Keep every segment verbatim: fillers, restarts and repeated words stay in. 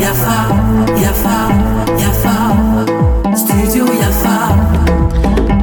Yafa, Yafa, Yafa, Studio Yafa.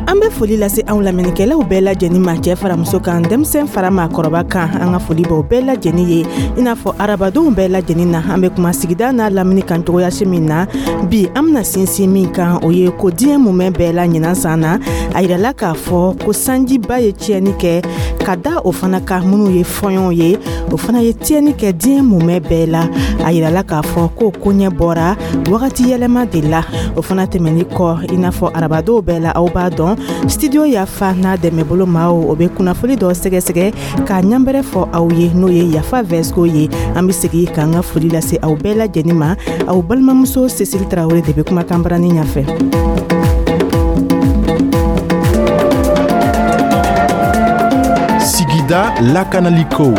An bɛ foli lase anw lamɛnnikɛlaw bɛɛ lajɛlen ma, cɛ fara muso kan, denmisɛn fara maakɔrɔba kan. An ka foli b'aw bɛɛ lajɛlen ye. I n'a fɔ arabadenw bɛɛ lajɛlen na, an bɛ kuma sigida n'a lamini kan cogoyasi min na, bi an bɛna sinsin min kan, o ye ko diɲɛ mumɛ bɛɛ la ɲinan san na, a yirala k'a fɔ ko sanjiba ye tiɲɛni kɛ, ka da o fana kan minnu ye fɔɲɔw ye, o fana ye tiɲɛni kɛ diɲɛ mumɛ bɛɛ la. A yirala k'a fɔ ko koɲɛ bɔra wagati yɛlɛma de la. O fana tɛmɛni kɔ, i n'a fɔ arabadenw bɛɛ la, aw b'a dɔn, Studio Yafa n'a dɛmɛbolo maaw, o bɛ kunnafoni dɔ sɛgɛsɛgɛ k'a ɲanbɛrɛ fɔ aw ye, n'o ye Yafa Vɛsiko ye. An bɛ segin k'an ka foli lase aw bɛɛ lajɛlen ma. Aw balimamuso Cécile Tarawele de bɛ kumakan barani ɲɛfɛ. Sigida lakanaliko.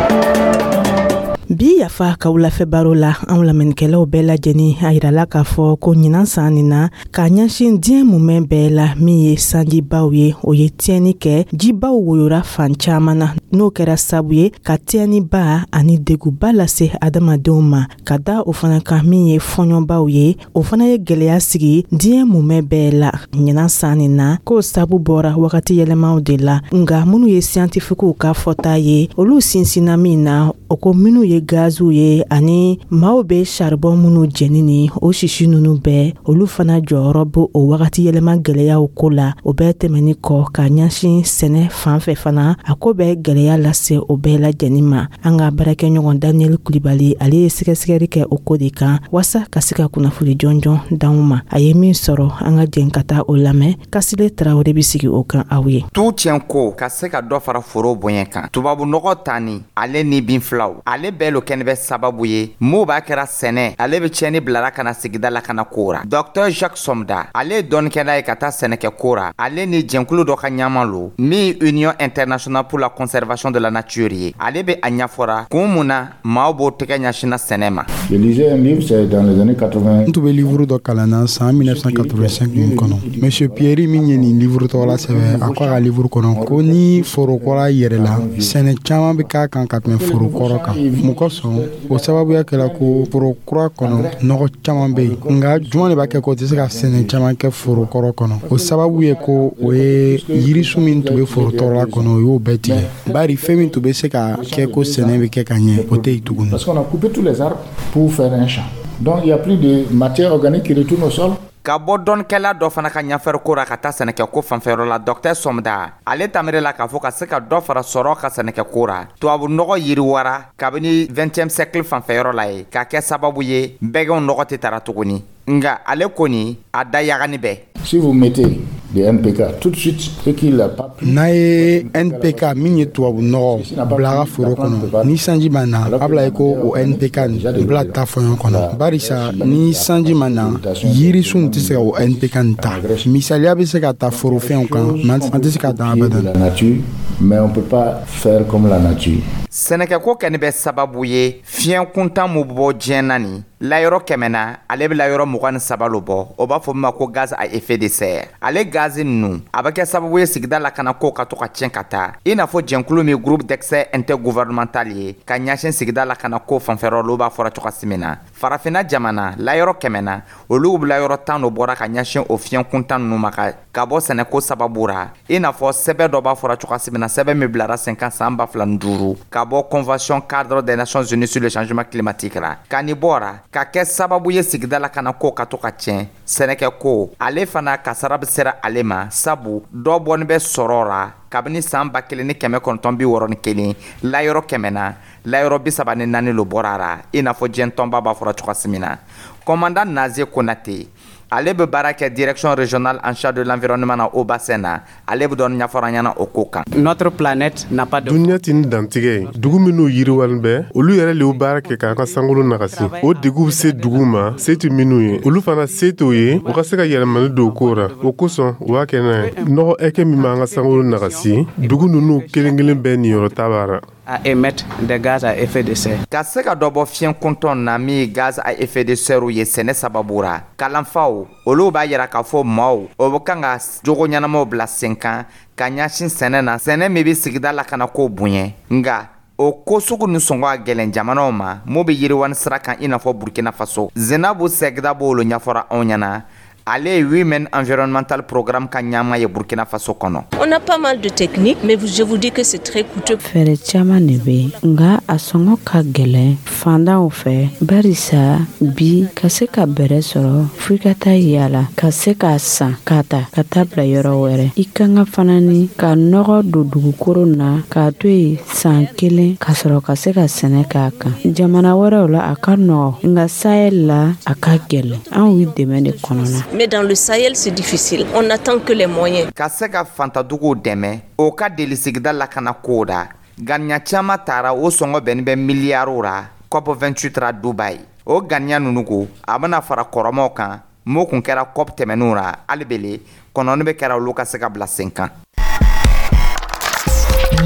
Bi Yafa ka wulafɛ baro la, anw lamɛnnikɛlaw bɛɛ lajɛlen, a yirala k'a fɔ ko ɲinan san nin na, k'a ɲɛsin diɲɛ mumɛ bɛɛ la, min ye sanjibaw ye, o ye tiɲɛni kɛ. Jibaw woyora fan caman na, n'o kɛra sabu ye ka tiɲɛniba ani deguba lase adamadenw ma. Ka da o fana kan, min ye fɔɲɔbaw ye, o fana ye gwɛlɛya sigi diɲɛ mumɛ bɛɛ la ɲinan san nin na, k'o sabu bɔra wagati yɛlɛmaw de la. Nga minnu ye siyantifikiw ka fɔta ye, olu sinsinna min na, o ko minnu ye gaziw ye ani maaw bɛ saribɔn minnu jɛni ni o sisi ninnu bɛɛ, olu fana jɔyɔrɔ b'o o wagati yɛlɛma gwɛlɛyaw ko la. O bɛɛ tɛmɛni kɔ, ka ɲɛsin sɛnɛ fan fɛ fana, a ko bɛ gwɛlɛya lase o bɛɛ lajɛlen ma. An ka baarakɛɲɔgɔn Daniel Kulibali, ale ye sɛgɛsɛgɛli kɛ o ko de kan waasa ka se ka kunnafoni jɔnjɔn d'anw ma. A ye min sɔrɔ, an ka jɛn ka taa o lamɛn. Kasile Tarawele bɛ sigi o kan aw ye. Tu tiɲɛ ko ka se ka dɔ fara foro bonya kan, tubabu nɔgɔ tani ale ni bin filaw, ale bɛɛ lo kɛnɛ bɛ sababu ye m'o b'a kɛra sɛnɛ ale bɛ tiɲɛni bilara ka na sigida la ka na ko ra. Docteur Jacques Somda, ale ye dɔnnikɛla ye ka taa sɛnɛkɛ ko ra. Ale ni jɛnkulu dɔ ka ɲama lo min Union internationale pour la conservation de la nature ye. Ale bɛ a ɲɛfɔra kun mun na maaw b'o tɛgɛ ɲɛsinna sɛnɛ ma. Je lisais un livre, c'est dans les années quatre-vingt. N tun bɛ livre dɔ kalan na san mille neuf cent quatre-vingt-cinq nin kɔnɔ. Monsieur Pierre min ye nin livre tɔgɔ la sɛbɛn, a ko a ka livre kɔnɔ ko ni foro kɔrɔ yɛrɛla, sɛnɛ caman bɛ k'a kan ka tɛmɛ foro kɔrɔ kan. Mun kosɔn? O sababuya kɛra ko foro kura kɔnɔ, nɔgɔ caman bɛ yen, nka jumɛn de b'a kɛ k'o tɛ se ka sɛnɛ caman kɛ foro kɔrɔ kɔnɔ? O sababu ye ko o ye yirisun min tun bɛ foro tɔrɔla kɔnɔ, o y'o bɛɛ tigɛ, bari fɛn min tun bɛ se ka kɛ ko sɛnɛ bɛ kɛ ka ɲɛ, o tɛ yen tuguni. Parce qu'on a coupé tous les arbres pour faire un champ. Donc il n'y a plus de matière organique qui retourne au sol. Ka bɔ dɔnnikɛla dɔ fana ka ɲɛfɛri ra ka taa sɛnɛkɛko fanfɛyɔrɔ la, docteur Sɔmda, ale tamire la k'a fɔ ka se ka dɔ fara sɔrɔ ka sɛnɛkɛko ra, tubabu nɔgɔ yiriwara kabini vingtième siècle fanfɛyɔrɔ la ye k'a kɛ sababu ye bɛgɛnw nɔgɔ tɛ tara tuguni. Nga ale kɔni a da yagani bɛɛ. Si vous mettez des N P K tout de suite et qu'il n'a pas plu, N'a ye N P K min ye tubabu nɔgɔ bila a ka foro kɔnɔ, ni sanji ma na, a bila ye ko o N P K nin bila ta fɔɲɔ kɔnɔ, barisa ni sanji ma na, yirisun tɛ se ka o N P K nin ta. Misaliya bɛ se ka ta forofɛnw kan, mais an tɛ se ka dan abadan. La nature, mais on ne peut pas faire comme la nature. Sɛnɛkɛko kɛni bɛ sababu ye fiɲɛ kuntan mun bɔ diɲɛ na nin layɔrɔ kɛmɛ na, ale bɛ layɔrɔ mugan ni saba lo bɔ. O b'a fɔ min ma ko gaz à effet de serre. Ale gazi ninnu, a bɛ kɛ sababu ye sigida lakana ko ka to ka tiɲɛ ka taa, i n'a fɔ jɛnkulu min Groupe d'experts intergouvernemental ye ka ɲɛsin sigida lakana ko fanfɛyɔrɔ olu b'a fɔra cogoya min na, Farafinna jamana layɔrɔ kɛmɛ na, olu bɛ layɔrɔ tan do bɔra ka ɲɛsin o fiɲɛ kuntan ninnu ma ka ka bɔ sɛnɛko sababu ra, i n'a fɔ sɛbɛn dɔ b'a fɔra cogoya min na, sɛbɛn min bilara sen kan san ba fila ni duuru ka bɔ Convention cadre des Nations unies sur le changement climatique la. Ka nin bɔra ka kɛ sababu ye sigida la kana ko ka to ka tiɲɛ. Sɛnɛkɛ ko ale fana kasara bɛ sera ale ma, sabu dɔ bɔni bɛ sɔrɔ ra kabini san ba kelen ni kɛmɛ kɔnɔntɔn bi wɔɔrɔ ni kelen, layɔrɔ kɛmɛ na, layɔrɔ bi saba ni naani lo bɔra ra, i n'a fɔ diɲɛ tɔnba b'a fɔra cogoya min na. Commandant Naze Konate, ale bɛ baara kɛ Direction régionale en charge de l'environnement na o bassin na. Ale bɛ dɔɔni ɲɛfɔra an ɲɛna o ko kan. Notre planète n'a pas de Duniya tɛ ni dantigɛ ye. Dugu minnu yiriwalen bɛ, olu yɛrɛ le y'u baara kɛ k'an ka sankolo nagasi. O deguw bɛ se dugu ma se tɛ minnu ye, olu fana se t'o ye u ka se ka yɛlɛmani don o ko ra. O kosɔn u b'a kɛ n'a ye nɔgɔ ɛkɛ min b'an ka sankolo nagasi, dugu ninnu kelen kelen bɛɛ niyɔrɔ ta b'a ra. à émettre des gaz à effet de serre. Ka se ka dɔ bɔ fiɲɛ kuntɔn na min ye gaz à effet de serre ye sɛnɛ sababu ra, kalanfaw olu b'a yira k'a fɔ maaw o bɛ kan ka jogo ɲɛnamaw bila sen kan ka ɲɛsin sɛnɛ na, sɛnɛ min bɛ sigida lakana ko bonya. Nga O ko sugu ni sɔngɔ a gɛlɛn jamanaw ma mun bɛ yiriwani sira kan, i n'a fɔ Burkina Faso. Zenabu Sɛgida b'olu ɲɛfɔra anw ɲɛna. Ale ye Women Environmental Programme ka ɲɛmaa ye Burkina Faso kɔnɔ. On a pas mal de techniques, mais je vous dis que c'est très coûteux. Fɛɛrɛ caman de bɛ yen, nka a sɔngɔ ka gɛlɛn fandanw fɛ, barisa bi ka se ka bɛrɛ sɔrɔ, fo i ka taa yala ka se k'a san k'a ta ka taa bila yɔrɔ wɛrɛ. I kan ka fana ni ka nɔgɔ don dugukolo na k'a to yen san kelen ka sɔrɔ ka se ka sɛnɛ k'a kan. Jamana wɛrɛw la, a ka nɔgɔ, nka Sahel la, a ka gɛlɛn. Anw ye dɛmɛ de kɔnɔna. Mais dans le Sahel, c'est difficile. On n'attend que les moyens. Ka se ka fantaduguw dɛmɛ o ka deli sigida lakana kow da, ganiya caman taara, o sɔngɔ bɛnni bɛ miliyariw ra COP vingt-huit ra Dubaï. O ganiya ninnu ko a bɛna fara kɔrɔmaw kan m'o kun kɛra COP tɛmɛnenw ra. Hali bele kɔnɔni bɛ kɛra olu ka se ka bila sen kan.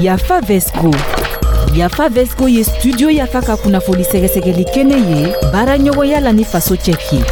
Yafa Vesco. Yafa Vesco ye Studio Yafa ka kunnafoni sɛgɛsɛgɛli kɛnɛ ye, baara ɲɔgɔnya la ni Faso Cɛki.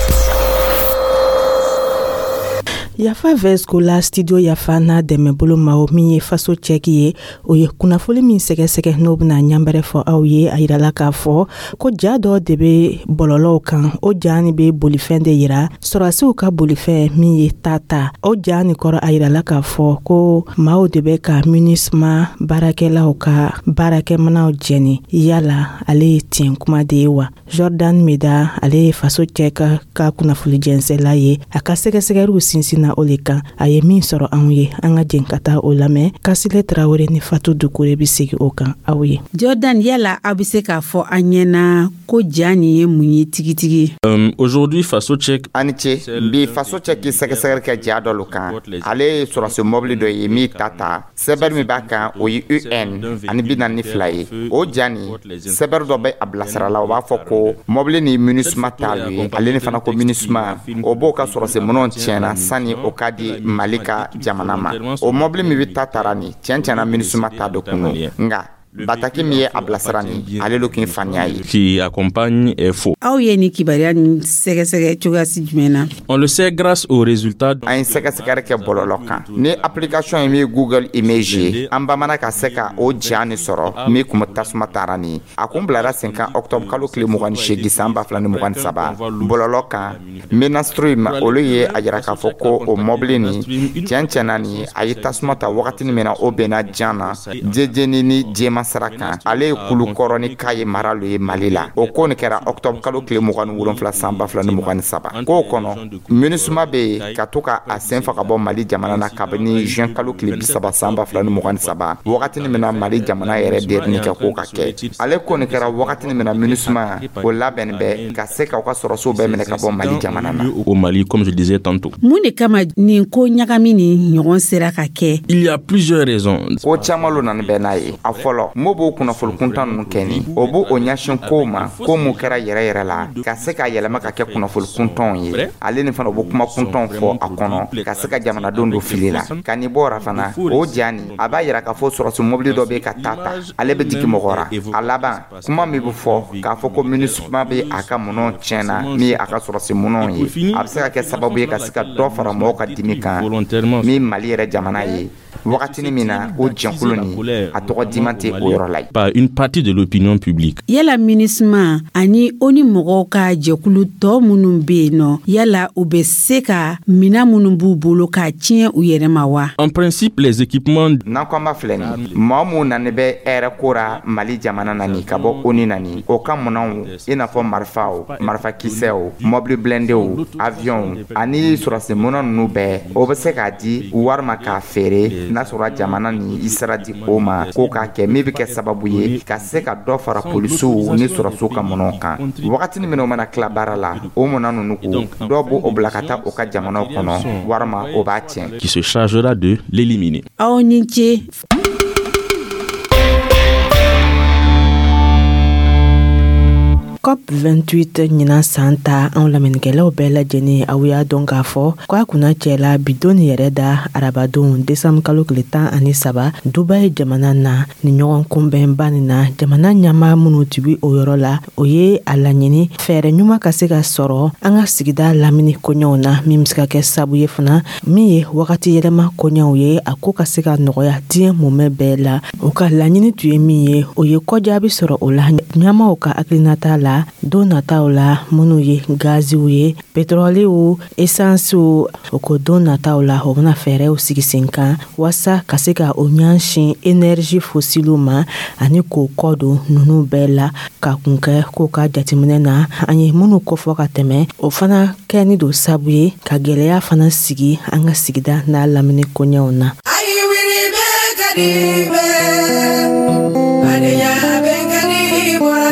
Yafa Vesco la, Studio Yafa n'a dɛmɛbolo maaw min ye Faso Cɛki ye, o ye kunnafoli min sɛgɛsɛgɛ, n'o bena ɲanbɛrɛ fɔ aw ye. A yirala k'a fɔ ko ja dɔ de be bɔlɔlɔw kan. O ja ni be bolifɛn de yira, sɔrɔdasiw ka bolifɛn min ye Tata. O ja ni kɔrɔ, a yirala k'a fɔ ko maaw de bɛ ka MINUSMA baarakɛlaw ka baarakɛmanaw jɛni. Yala ale ye tiɲɛ kuma de ye wa? Jordan Meda, ale ye Faso Cɛ ka ka kunnafoli jɛnsɛla ye, a ka sɛgɛsɛgɛliw sinsin na o le kan. A ye min sɔrɔ anw ye, an ka jɛn ka taa o lamɛn. Kasile Tarawele ni Fatu Dukure be segi o kan aw ye. Jordan, yala aw be se k'a fɔ an ɲɛna ko ja nin ye mun ye tigitigi? Euh, aujourd'hui, Faso Check. Ani ce. Bi, Faso Cɛ k'i sɛgɛsɛgɛli kɛ ja dɔ lo kan. Ale ye sɔrɔsi mɔbili dɔ ye min ta ta sɛbɛri min b'a kan, o ye U N ani bi naani ni fila ye. O ja nin, sɛbɛri dɔ bɛ a bilasira la, o b'a fɔ ko mɔbili ni MINUSMA t'alu ye. Ale ni fana ko MINUSMA o b'o ka sɔrɔsi minɛnw tiɲɛna sani o ka di Mali ka jamana ma. O mɔbili min bɛ ta tara nin, tiɲɛ tiɲɛna, MINUSMA ta dɔ kun don, nka bataki min ye a bilasira nin, ale lo k'i faniya ye. Qui accompagne est faux. Aw ye ni kibaruya nin sɛgɛsɛgɛ cogoyasi jumɛn na? On le sait grâce aux résultats. An ye sɛgɛsɛgɛli kɛ bɔlɔlɔ kan ni application ye min ye Google Image ye. An bamana ka se ka o ja nin sɔrɔ min kun bɛ tasuma taara nin. A kun bilara sen kan octobre kalo tile mugan ni seegin san ba fila ni mugan ni saba. Bɔlɔlɔ kan, Menastream, olu ye a yira k'a fɔ ko o mɔbili nin, tiɲɛ tiɲɛna nin, a ye tasuma ta wagatini min na, o bɛnna jan na jejeni ni jɛma sira kan. Ale ye Kulukɔrɔ ni Kaye mara lo ye Mali la. O ko nin kɛra octobre kalo tile mugan ni wolonfila san ba fila ni mugan ni saba. K'o kɔnɔ, MINUSMA bɛ yen ka to ka a sen fa ka bɔ Mali jamana na kabini juin kalo tile bi saba san ba fila ni mugan ni saba, wagatini min na Mali jamana yɛrɛ derini kɛ k'o ka kɛ. Ale ko nin kɛra wagatini min na MINUSMA o labɛnni bɛ ka se k'aw ka sɔrɔsiw bɛɛ minɛ ka bɔ Mali jamana na. Au Mali, comme je disais tantôt. Mun de kama nin ko ɲagami ni ɲɔgɔn sera ka kɛ? Il y a plusieurs raisons. Ko caman lo nani bɛ n'a ye. A fɔlɔ, mo b'o kunnafoni kuntan ninnu kɛ ni o b'o o ɲɛsin kow ma, ko mun kɛra yɛrɛ yɛrɛ la, ka se ka yɛlɛma ka kɛ kunnafoni kuntanw ye. Ale ni fana, o bɛ kuma kuntanw fɔ a kɔnɔ ka se ka jamanadenw don fili la. Ka nin bɔra fana, o ja nin, a b'a yira k'a fɔ sɔrɔsi mobili dɔ bɛ ka taa ta, ale bɛ jigin mɔgɔ ra. A laban, kuma min bɛ fɔ k'a fɔ ko MINUSMA bɛ a ka minɛnw tiɲɛna, min ye a ka sɔrɔsi minɛnw ye, a bɛ se ka kɛ sababu ye ka se ka dɔ fara mɔgɔw ka dimi kan min Mali yɛrɛ jamana ye, wagatini min na o jɛnkulu nin, a tɔgɔ diman tɛ o yɔrɔ la ye. Par une partie de l'opinion publique. Yala MINUSMA ani ONU mɔgɔw ka jɛkulu tɔ minnu be yen nɔ, yala u bɛ se ka mina minnu b'u bolo k'a tiɲɛ u yɛrɛ ma wa? En principe, les équipements. N'an ko an b'a filɛ nin, maa mun nani bɛ hɛrɛ ko ra Mali jamana na nin ka bɔ ONU na nin, o ka minɛnw, i n'a fɔ marifaw, marifakisɛw, mɔbili blindéw, avionw ani sɔrɔsi minɛn ninnu bɛɛ, o bɛ se k'a di wari ma k'a feere, n'a sɔrɔ jamana ni i sera di o ma k'o k'a kɛ, min bɛ kɛ sababu ye ka se ka dɔ fara polisiw ni sɔrɔsiw ka minɛnw kan. Wagatini min o mana tila baara la, o minɛn ninnu ko dɔw b'o bila ka taa o ka jamanaw kɔnɔ, walima o b'a tiɲɛ. Qui se chargera de l'éliminer. Aw ni ce. COP vingt-huit ɲinan san ta, anw lamɛnnikɛlaw bɛɛ lajɛlen, aw y'a dɔn k'a fɔ k'a kunna cɛla bidon yɛrɛ da arabadon desanbu kalo tile tan ani saba, Dubayi jamana na. Ni ɲɔgɔn kunbɛnba nin na, jamana ɲama minnu tun o yɔrɔ la, o ye a laɲini fɛɛrɛ ɲuman ka se ka sɔrɔ an ka sigida lamini koɲɛw na, min be se ka kɛ sabu ye fana, min ye wagati yɛlɛma koɲɛw ye, a ko ka se ka nɔgɔya diɲɛ mumɛ bɛɛ la. O ka laɲini tun ye min ye, o ye kɔjaabi sɔrɔ o la ɲamaw ka hakilinata la don nataw la, minnu ye gaziw ye, petrɔliw, esansiw. O ko don nataw la, o bena fɛɛrɛw sigi sen kan waasa ka se ka o ɲɛsin énergie fossilew ma ani k'o kɔ don nunu bɛɛ la, ka kun kɛ k'o ka jateminɛ na, an ye minnu kofɔ ka tɛmɛ, o fana kɛni don sabu ye ka gwɛlɛya fana sigi an ka sigida n'a lamini koɲɛw na. Ka di bɛɛ, badenya bɛn ka di bɔra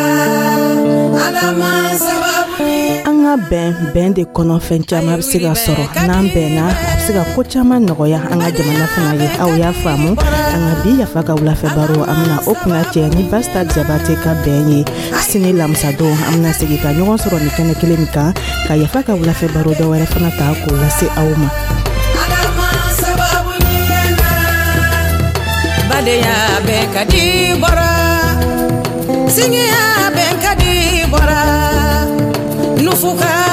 Ala ma sababu. An ka bɛn, bɛn de kɔnɔ fɛn caman bɛ se ka sɔrɔ. N'an bɛnna, a bɛ se ka ko caman nɔgɔya an ka jamana fana ye. Aw y'a faamu, an ka bi Yafa ka wulafɛ baro, an bɛna o kunna cɛ ni Basta Jabate ka bɛn ye. Sini lamisadon, an bɛna segin ka ɲɔgɔn sɔrɔ nin kɛnɛ kelen min kan, ka Yafa ka wulafɛ baro dɔ wɛrɛ fana ta k'o lase aw ma. Ala ma sababu ɲɛna, badenya bɛn ka di bɔra, singiya bɛn ka di bɔra nufuka.